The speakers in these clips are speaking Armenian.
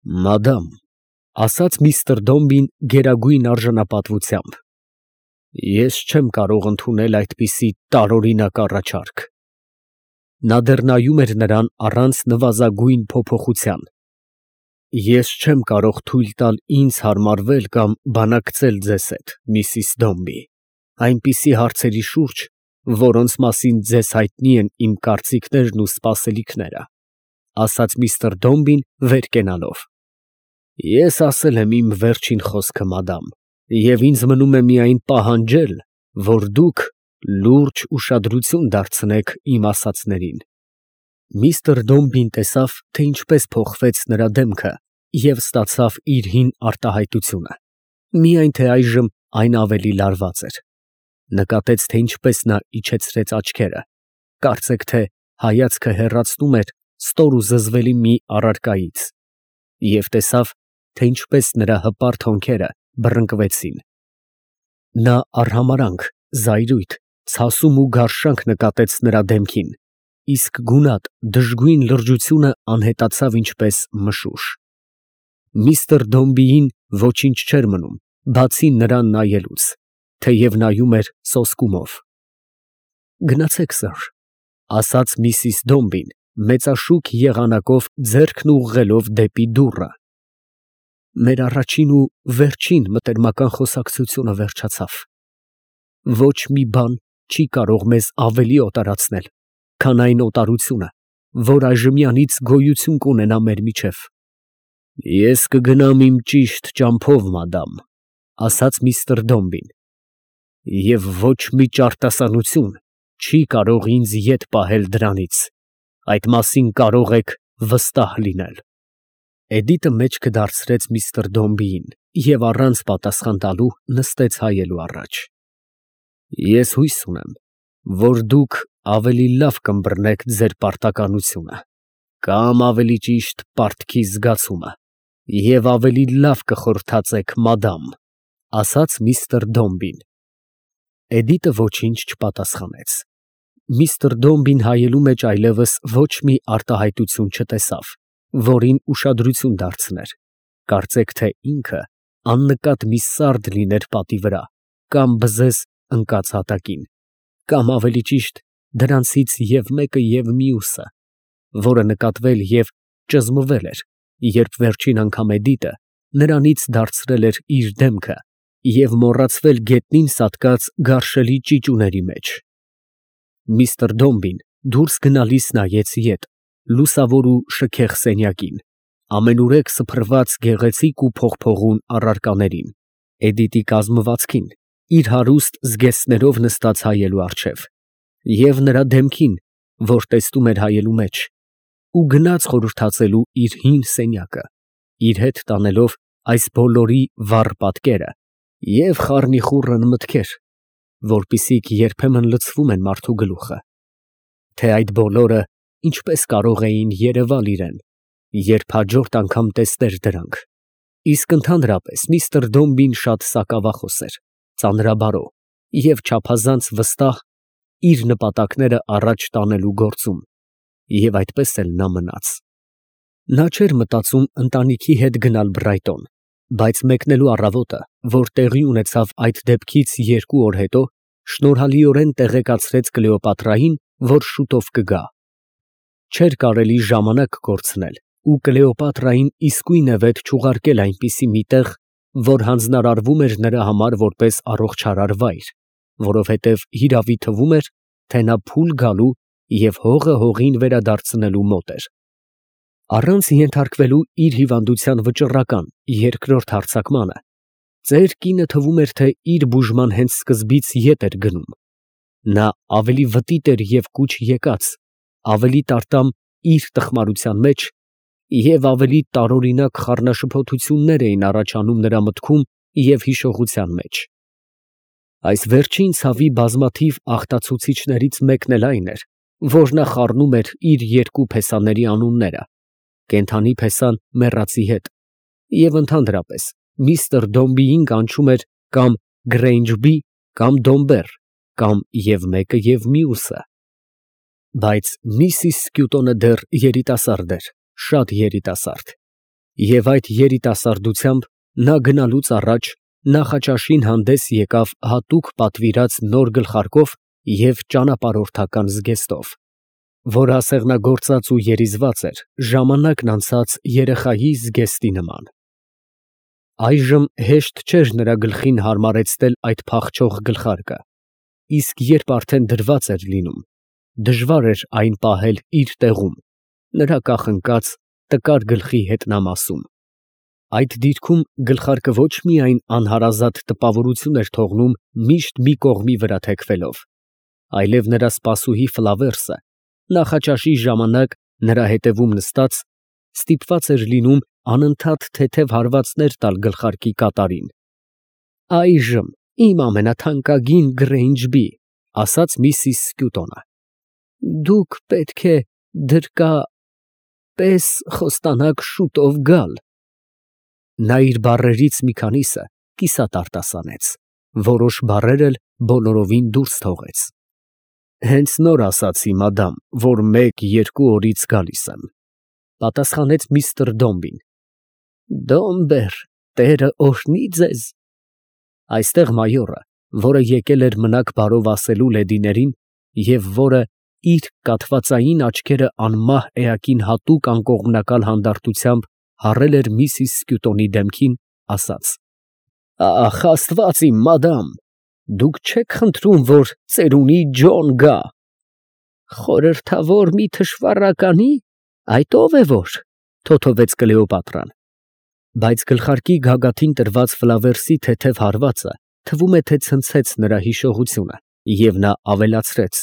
Մադամ, ասաց միստր Դոմբին գերագույն արժանապատվությամբ, ես չեմ կարող ընդունել այդպիսի տարօրինակ առաջարկ։ Նա դեռ նայում էր նրան առանց նվազագույն փոփոխության։ Ես չեմ կարող թույլ տալ ինձ հարմարվել կամ բանակցել ձեզ հետ, Միսիս Դոմբի, այնպիսի հարցերի շուրջ, որոնց մասին ձեզ հայտնի են իմ կարծիքներն ու սպասելիքները, ասաց միստր Դոմբին վեր կենալով։ Ես ասել եմ իմ վերջին խոսքը, մադամ, և ինձ մնում է միայն պահանջել, որ դուք լուրջ ուշադրություն դարձնեք իմ ասածներին։ Միստր Դոմբին տեսավ, թե ինչպես փոխվեց նրա դեմքը և ստացավ իր հին արտահայտությունը, միայն թե այժմ այն ավելի լարված էր։ Նկատեց, թե ինչպես նա իջեցրեց աչքերը, կարծեք թե հայացքը հեռացնում էր ստոր ու զզվելի մի առարկայից, և տեսավ, թե ինչպես նրա հպարտ հոնքերը բռնկվեցին։ Նա արհամարհանք, զայրույթ, ցասում ու գարշանք նկատեց նրա դեմքին, իսկ գունատ, դժգույն լրջությունը անհետացավ ինչպես մշուշ։ Միստր Դոմբիին ոչինչ չէր մնում, բացի նրան նայելուց, թեև նայում էր սոսկումով։ Գնացեք, սըր, ասաց միսիս Դոմբին, մեծաշուք եղանակով ձեռքն ուղղելով դեպի դուռը։ Մեր առաջին ու վերջին մտերմական խոսակցությունը վերջացավ։ Ոչ մի բան չի կարող մեզ ավելի օտարացնել, քան այն օտարությունը, որ այժմյանից գոյություն կունենա մեր միջև։ Ես կգնամ իմ ճիշտ ճամփով, մադամ, ասաց միստր Դոմբին, և ոչ մի ճարտասանություն չի կարող ինձ ետ պահել դրանից, այդ մասին կարող եք վստահ լինել։ Էդիտը մեջքը դարձրեց միստր Դոմբիին և առանց պատասխան տալու նստեց հայելու առաջ։ Ես հույս ունեմ, որ դուք ավելի լավ կըմբռնեք ձեր պարտականությունը, կամ ավելի ճիշտ պարտքի զգացումը, և ավելի լավ կխորհրդածեք, մադամ, ասաց միստր Դոմբին։ Էդիտը ոչինչ չպատասխանեց։ Միստր Դոմբին հայելու մեջ այլևս ոչ մի արտահայտություն չտեսավ, որին ուշադրություն դարձներ, կարծեք թե ինքը աննկատ մի սարդ լիներ պատի վրա, կամ բզեզ ընկած հատակին, կամ ավելի ճիշտ դրանցից և մեկը և մյուսը, որը նկատվել և ճզմվել էր, երբ վերջին անգամ Էդիտը նրանից դարձրել էր իր դեմքը և մոռացվել գետնին սատկած գարշելի ճիճուների մեջ։ Միստր Դոմբին դուրս գնալիս նայեց ետ, լուսավոր ու շքեղ սենյակին, ամենուրեք սփռված գեղեցիկ ու փողփողուն առարկաներին, Էդիտի կազմվածքին, իր հարուստ զգեստներով նստած հայելու առջև, և նրա դեմքին, որ տեսնում էր հայելու մեջ, ու գնաց խորհրդածելու իր հին սենյակը, իր հետ տանելով այս բոլորի վառ պատկերը և խառնիխուռն մտքեր, որպիսիք երբեմն լցվում են մարդու գլուխը, թե այդ բոլորը ինչպես կարող էին երևալ իրան, երբ հաջորդ անգամ տեսներ դրանք։ Իսկ ընդհանրապես միստր Դոմբին շատ սակավախոս էր, ծանրաբարո և չափազանց վստահ իր նպատակները առաջ տանելու գործում, և այդպես էլ նա մնաց։ Նա չէր մտածում ընտանիքի հետ գնալ Բրայտոն, բայց մեկնելու առավոտը, որ տեղի ունեցավ այդ դեպքից 2 օր հետո, շնորհալիորեն տեղեկացրեց Կլեոպատրային, որ շուտով կգա։ Չէր կարելի ժամանակ կորցնել ու Կլեոպատրային իսկույնևեթ չուղարկել այնպիսի մի տեղ, որ հանձնարարվում էր նրա համար որպես առողջարար վայր, որովհետև հիրավի թվում էր, թե նա փուլ գալու և հողը հողին վերադարձնելու մոտ էր։ Առանց ենթարկվելու իր հիվանդության վճռական երկրորդ հարձակմանը, ծեր կինը թվում էր, թե իր բուժման հենց սկզբից ետ էր գնում։ Նա ավելի վտիտ էր և կուչ եկած, ավելի տարտամ իր տխմարության մեջ և ավելի տարօրինակ խառնաշփոթություններ էին առաջանում նրա մտքում և հիշողության մեջ։ Այս վերջին ցավի բազմաթիվ աղտացուցիչներից մեկն էլ այն էր, որ նա խառնում էր իր 2 փեսաների անունները, կենդանի փեսան մեռածի հետ, և ընդհանրապես միստր Դոմբիին կանչում էր կամ Գրեյնջբի, կամ Դոմբեր, կամ և մեկը և մյուսը։ Բայց միսիս Սկյուտոնը դեռ երիտասարդ էր, շատ երիտասարդ, Եվ այդ երիտասարդությամբ նա գնալուց առաջ Նախաճաշին հանդես եկավ հատուկ պատվիրած նոր գլխարկով և ճանապարհորդական զգեստով, որ ասեղնագործած ու երիզված էր ժամանակն անցած երեխայի զգեստի նման։ Այժմ հեշտ չէր նրա գլխին հարմարեցնել այդ փախչող գլխարկը, իսկ երբ արդեն դրված էր լինում, դժվար էր այն պահել իր տեղում, նրա կախնկած տկար գլխի հետնամասում։ Այդ դիրքում գլխարկը ոչ միայն անհարազատ տպավորություն էր թողնում միշտ մի կողմի վրա թեքվելով, այլև նրա սպասուհի Ֆլավերսը նախաճաշի ժամանակ նրա հետևում նստած ստիպված էր լինում անընդհատ թեթև հարվածներ տալ գլխարկի կատարին։ «Այժմ իմ ամենաթանկագին Գրեյնջբի», ասաց միսիս Սկյուտոնը, «դուք պետք է դրկա պես խոստանաք շուտով գալ»։ Նա իր բառերից մի քանիսը կիսատ արտասանեց, որոշ բառեր էլ բոլորովին դուրս թողեց։ «Հենց նոր ասացի, մադամ, որ 1-2 օրից գալիս եմ», պատասխանեց միստր Դոմբին։ «Դոմբեր, տերը օրհնի ձեզ»։ Այստեղ մայորը, որը եկել էր մնաք բարով ասելու լեդիներին և որը իր կաթվածային աչքերը անմահ էակին հատուկ անկողմնակալ հանդարտությամբ հառել էր միսիս Սկյուտոնի դեմքին, ասաց. «Ախ, Աստված իմ, մադամ, դուք չեք խնդրում, որ ծերունի Ջոն գա»։ «Խորհրդավոր մի թշվառականի, այդ ո՞վ է որ», թոթովեց Կլեոպատրան։ Բայց գլխարկի գագաթին տրված Ֆլավերսի թեթև հարվածը թվում է, թե ցնցեց նրա հիշողությունը, և նա ավելացրեց.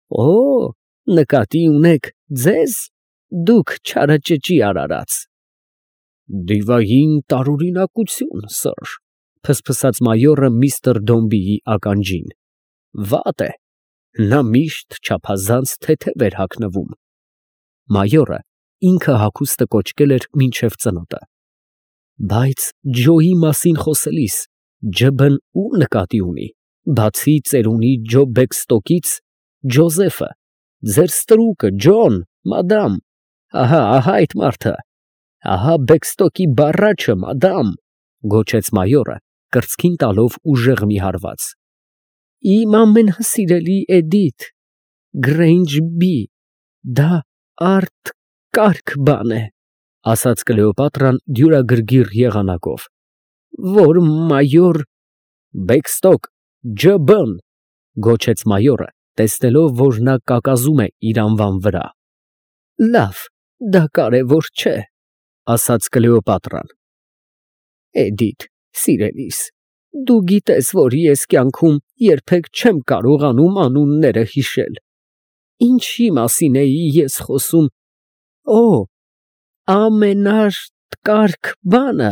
«Օ, նկատի ունեք ձեզ, դուք չարաճճի արարած»։ «Դիվային տարօրինակություն, սըր», ֆսֆսաց մայորը միստր Դոմբիի ականջին։ «Վատ է, նա միշտ չափազանց թեթև էր հագնվում»։ Մայորը ինքը հագուստը կոչկել էր մինչև ծնոտը։ Բայց Ջոյի մասին խոսելիս Ջ֊ն ում նկատի ունի, բացի ծերունի Ջո Բեքստոկից, Ջոզեֆը, ձեր ստրուկը, Ջոն, մադամ, ահա այդ մարդը, ահա Բեքստոկի բառաչը, մադամ, գոչեց մայորը, կրծքին տալով ուժեղ մի հարված։ «Իմ ամենասիրելի Էդիթ, Գրեյնջբի, դա արտակարգ բան է», ասաց Կլեոպատրան դյուրագրգիռ եղանակով, «որ մայոր…» «Բեքստոկ, Ջ֊ն», գոչեց մայորը, տեսնելով, որ նա կակազում է իր անվան վրա։ «Լավ, դա կարևոր չէ», ասաց Կլեոպատրան։ «Էդիթ, սիրելիս, դու գիտես, որ ես կյանքում երբեք չեմ կարողանում անունները հիշել։ Ինչի մասին էի ես խոսում։ Օ, ամենատկարք բանը,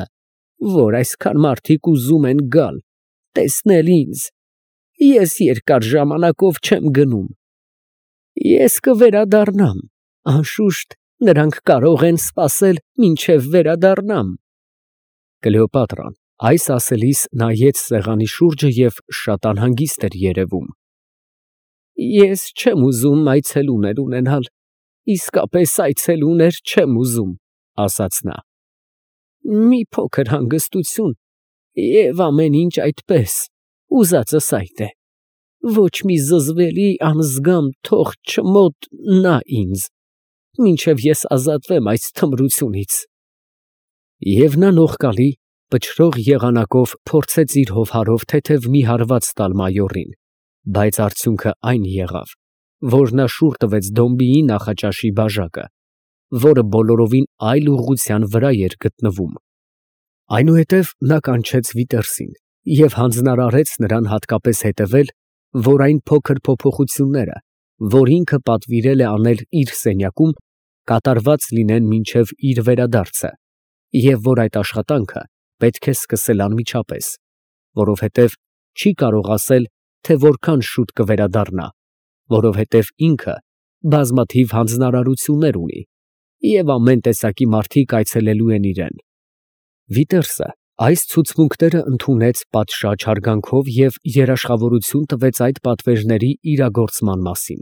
որ այսքան մարդիկ ուզում են գալ, տեսնել ինձ, ես երկար ժամանակով չեմ գնում։ Ես կվերադառնամ, անշուշտ, նրանք կարող են սպասել, մինչև վերադառնամ»։ Կլեոպատրան այս ասելիս նայեց սեղանի շուրջը և շատ անհանգիստ էր երևում։ «Ես չեմ ուզում այցելուներ ունենալ, իսկապես այցելուներ չեմ ուզում», ասաց նա։ «Մի փոքր հանգստություն և ամեն ինչ այդպես, ուզածս այդ է, ոչ մի զզվելի անզգամ թող չմոտնա ինձ, մինչև ես ազատվեմ այս թմրությունից»։ Եվ նա նողկալի, պչռող եղանակով փորձեց իր հովհարով թեթև մի հարված տալ մայորին, բայց արդյունքը այն եղավ, որ նա շուռ տվեց Դոմբիի նախաճաշի բաժակը, որը բոլորովին այլ ուղղության վրա էր գտնվում։ Այնուհետև նա կանչեց Վիտերսին և հանձնարարեց նրան հատկապես հետևել, որ այն փոքր փոփոխությունները, որ ինքը պատվիրել է անել իր սենյակում, կատարված լինեն մինչև իր վերադարձը, և որ այդ աշխատանքը պետք է սկսել անմիջապես, որովհետև չի կարող ասել, թե որքան շուտ կվերադառնա, որովհետև ինքը բազմաթիվ հանձնարարություններ ունի, և ամեն տեսակի մարդիկ այցելելու են իրան։ Վիտերսը այս ցուցմունքները ընդունեց պատշաճ հարգանքով և երաշխավորություն տվեց այդ պատվերների իրագործման մասին։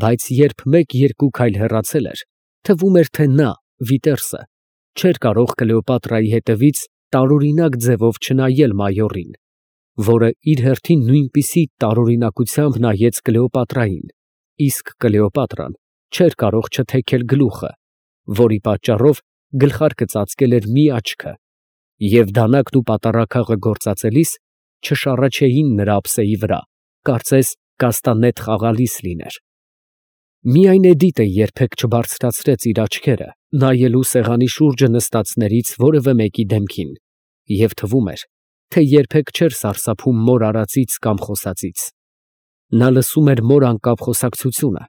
Բայց երբ 1-2 քայլ հեռացել էր, թվում էր, թե նա, Վիտերսը, չէր կարող Կլեոպատրայի հետևից տարօրինակ ձևով չնայել մայորին, որը իր հերթին նույնպիսի տարօրինակությամբ նայեց Կլեոպատրային, իսկ Կլեոպատրան չէր կարող չթեքել գլուխը, որի պատճառով գլխարկը ծածկել էր մի աչքը, և դանակն ու պատառաքաղը գործածելիս չշառաչեին նրա ափսեի վրա, կարծես կաստանետ խաղալիս լիներ։ Միայն Էդիտը երբեք չբարձրացրեց իր աչքերը, նայելու սեղանի շուրջը նստածներից որևէ մեկի դեմքին, և թվում էր, թե երբեք չէր սարսափում մոր արածից կամ խոսածից։ Նա լսում էր մոր անկապ խոսակցությունը,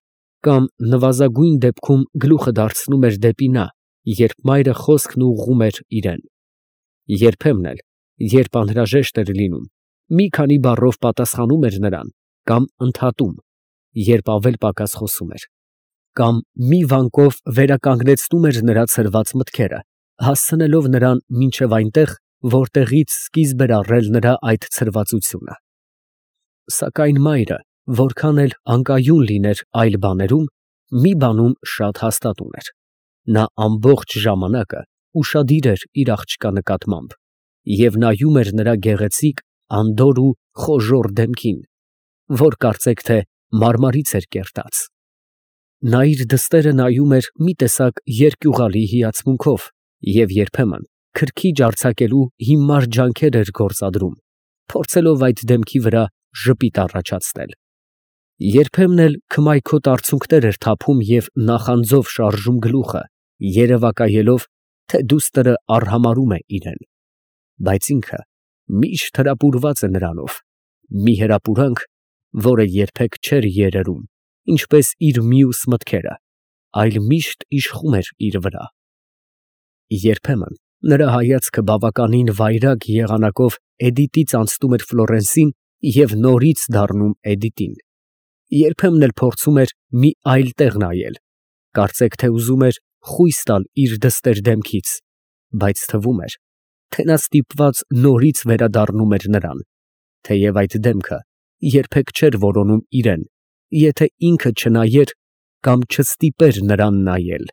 կամ նվազագույն դեպքում գլուխը դարձնում էր դեպի նա, երբ մայրը խոսքն ուղղում էր իրան։ Երբեմն էլ, երբ անհրաժեշտ էր լինում, մի քանի բառով պատասխանում էր նրան, կամ ընդհատում, երբ ավել պակաս խոսում էր, կամ մի վանկով վերականգնեցնում էր նրա ցրված մտքերը, հասցնելով նրան մինչև այնտեղ, որտեղից սկիզբ էր առել նրա այդ ցրվածությունը։ Սակայն մայրը, որքան էլ անկայուն լիներ այլ բաներում, մի բանում շատ հաստատ ուներ. նա ամբողջ ժամանակը ուշադիր էր իր աղջկա նկատմամբ և նայում էր նրա գեղեցիկ, անդորր ու խոժոռ դեմքին, որ կարծեք թե մարմարից էր կերտած։ Նա իր դստերը նայում էր մի տեսակ երկյուղալի հիացմունքով և երբեմն քրքիջ արձակելու հիմար ջանքեր էր գործադրում, փորձելով այդ դեմքի վրա ժպիտ առաջացնել։ Երբեմն էլ քմայքոտ արցունքներ էր թափում և նախանձով շարժում գլուխը, երևակայելով, թե դուստրը արհամարհում է իրան, բայց ինքը միշտ հրապուրված է նրանով, մի հրապուրանք, որը երբեք չէր երերում, ինչպես իր մյուս մտքերը, այլ միշտ իշխում էր իր վրա։ Երբեմն նրա հայացքը բավականին վայրագ եղանակով Էդիտից անցնում էր Ֆլորենսին և նորից դառնում Էդիտին, երբեմն էլ փորձում էր մի այլ տեղ նայել, կարծեք թե ուզում էր խույս տալ իր դստեր դեմքից, բայց թվում էր, թե նա ստիպված նորից վերադառնում էր նրան, թեև այդ դեմքը երբեք չէր որոնում իրան, եթե ինքը չնայեր կամ չստիպեր նրան նայել։